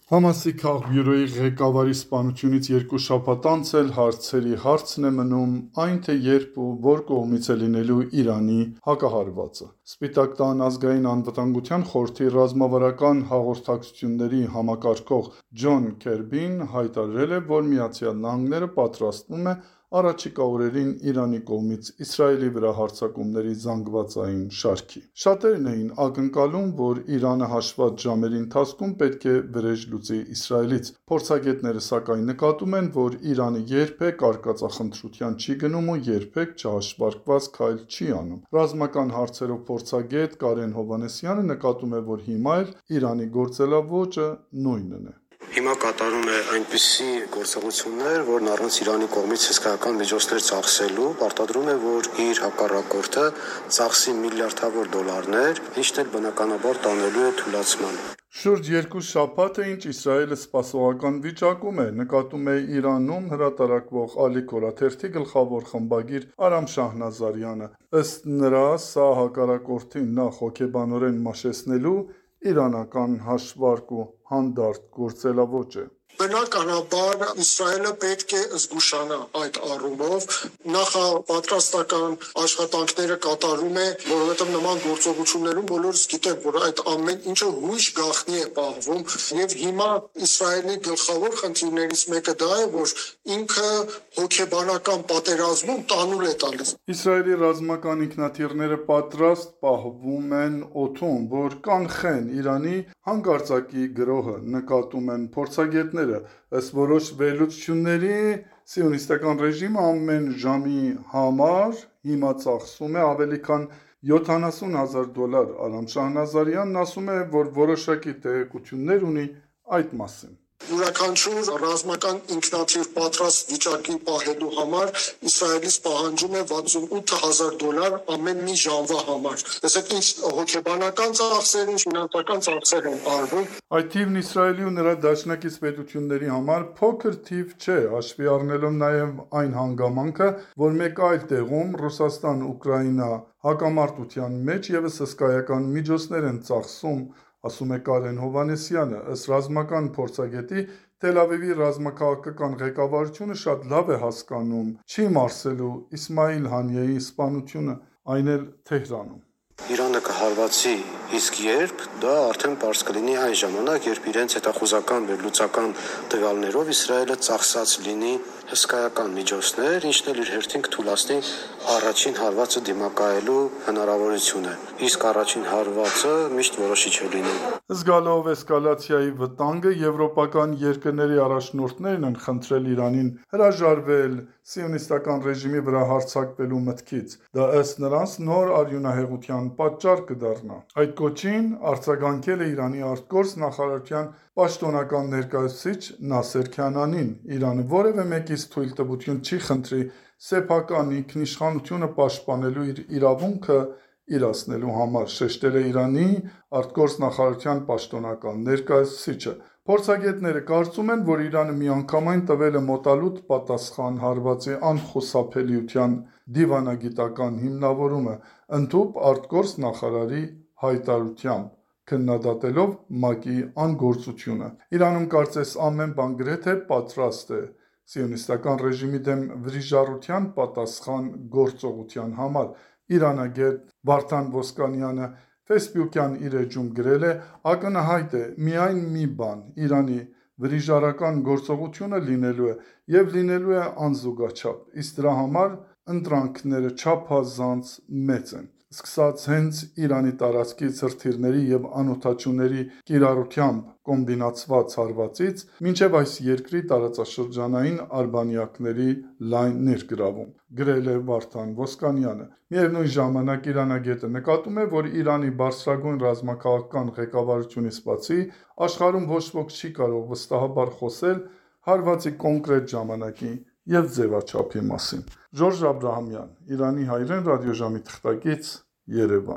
Համասի քաղբյուրոյի ղեկավարի սպանությունից 2 շաբաթ անց էլ հարցերի հարցն է մնում այն, թե երբ ու որ կողմից է լինելու Իրանի հակահարվածը։ Սպիտակ տան ազգային անվտանգության խորհրդի ռազմավարական հաղորդակցությունների համակարգող Ջոն Քերբին հայտարարել է, որ ԱՄՆ-ը պատրաստվում է առաջիկա օրերին Իրանի կողմից Իսրայելի վրա հարձակումների զանգվածային շարքի։ Շատերն էին ակնկալում, որ Իրանը հաշված ժամերի ընթացքում պետք է վրեժ լուծի Իսրայելից։ Փորձագետները սակայն նկատում են, որ Իրանը երբեք արկածախնդրության չի գնում ու երբեք չհաշվարկված քայլ չի անում։ Ռազմական հարցերով փորձագետ Կարեն Հովհաննիսյանը նկատում է, որ հիմա էլ Իրանի գործելաոճը նույնն է։ Հիմա կատարում է այնպիսի գործողություններ, որն առանց Իրանի կողմից հսկայական միջոցներ ծախսելու պարտադրում է, որ իր հակառակորդը ծախսի միլիարդավոր դոլարներ, ինչն էլ բնականաբար տանելու է թուլացման։ Շուրջ 2 շաբաթ է, ինչ Իսրայելը սպասողական վիճակում է, նկատում է Իրանում հրատարակվող Ալիք օրաթերթի գլխավոր խմբագիր Արամ Շահնազարյանը։ Ըստ նրա, սա հակառակորդին նախ հոգեբանորեն մաշեցնելու իրանական հաշվարկ ու հանդարտ գործելաոճ է։ Բնականաբար Իսրայելը պետք է զգուշանա այդ առումով, նախապատրաստական աշխատանքները կատարում է, որովհետև նման գործողություններում բոլորս գիտենք, որ այդ ամեն ինչը հույժ գաղտնի է պահվում, եւ հիմա Իսրայելի գլխավոր խնդիրներից մեկը դա է, որ ինքը հոգեբանական պատերազմում տանուլ է տալիս։ Իսրայելի ռազմական ինքնաթիռները պատրաստ պահվում են օդում, որ կանխեն Իրանի հանկարծակի գրոհը, նկատում են փորձագետները։ Ըստ որոշ վերլուծությունների, սիոնիստական ռեժիմը ամեն ժամի համար հիմա ծախսում է ավելի քան $70,000։ Արամ Շահնազարյանն ասում է, որ որոշակի տեղեկություններ ունի այդ մասին։ Յուրաքանչյուր ռազմական ինքնաթիռ պատրաստ վիճակի պահելու համար Իսրայելից պահանջում է $68,000 ամեն մի ժամվա համար։ Տեսեք, ինչ հոգեբանական ծախսեր, ինչ ֆինանսական ծախսեր են արվում։ Այդ թիվն Իսրայելի ու նրա դաշնակից պետությունների համար փոքր թիվ չէ, հաշվի առնելով նաև այն հանգամանքը, որ մեկ այլ տեղում Ռուսաստան-Ուկրաինա հակամարտության մեջ ևս հսկայական միջոցներ են ծախսում, ասում է Կարեն Հովհաննիսյանը։ Ըստ ռազմական փորձագետի, Թել Ավիվի ռազմաքաղաքական ղեկավարությունը շատ լավ է հասկանում չի մարսելու Իսմայիլ Հանիեի սպանությունը, այն էլ Թեհրանում։ Իրանը կհարվածի, իսկ երբ, դա արդեն պարզ կլինի այն ժամանակ, երբ իրենց հետախուզական վերլուծական տվյալներով Իսրայելը ծախսած լինի հսկայական միջոցներ, ինչն էլ իր հերթին կթուլացնի առաջին հարվածը դիմակայելու հնարավորությունը, իսկ առաջին հարվածը միշտ որոշիչ է լինում։ Զգալով էսկալացիայի վտանգը, եվրոպական երկրների առաջնորդներն են խնդրել Իրանին հրաժարվել սիոնիստական ռեժիմի վրա հարձակվելու մտքից։ Դա ըստ նրանց նոր արյունահեղության պատճառ կդառնա։ Այդ կոչին արձագանքել է Իրանի արտգործ նախարարության պաշտոնական ներկայացուցիչ Նասեր Քանանին։ Իրանը որևէ մեկից թույլտվություն չի խնդրի սեփական ինքնիշխանությունը պաշտպանելու իր իրավունքը իրացնելու համար, շեշտել է Իրանի արտգործ նախարարության պաշտոնական ներկայացուցիչը։ Փորձագետները կարծում են, որ Իրանը միանգամայն տվել է մոտալուտ պատասխան հարվածի անխուսափելիության դիվանագիտական հիմնավորումը, ընդհուպ արտգործ նախարարի հայտարարությամբ, քննադատելով ՄԱԿ-ի անգործությունը։ Իրանում կարծես ամեն բան գրեթե պատրաստ է սիոնիստական ռեժիմի դեմ վրիժառության պատասխան գործողության համար։ Իրանագետ Վարդան Ոսկանյանը Facebook-յան իր էջում գրել է. «Ակնհայտ է միայն մի բան՝ Իրանի վրիժառական գործողությունը լինելու է և լինելու է անզուգաչափ, իսկ դրա համար ընտրանքները չափազանց մեծ են»։ Սկսած հենց Իրանի տարածքից հրթիռների և անօդաչուների կիրառությամբ կոմբինացված հարվածից, մինչև այս երկրի տարածաշրջանային արբանյակների լայն ներգրավում, գրել է Վարդան Ոսկանյանը։ Միևնույն ժամանակ իրանագետը նկատում է, որ Իրանի բարձրագույն ռազմաքաղաքական ղեկավարությունից բացի, աշխարհում ոչ ոք չի կարող վստահաբար խոսել հարվածի կոնկրետ ժամանակի և ձևաչափի մասին։ Ժորժ Աբրահամյան, Իրանի հայրեն ռադիոժամի թղթակից, Երևան։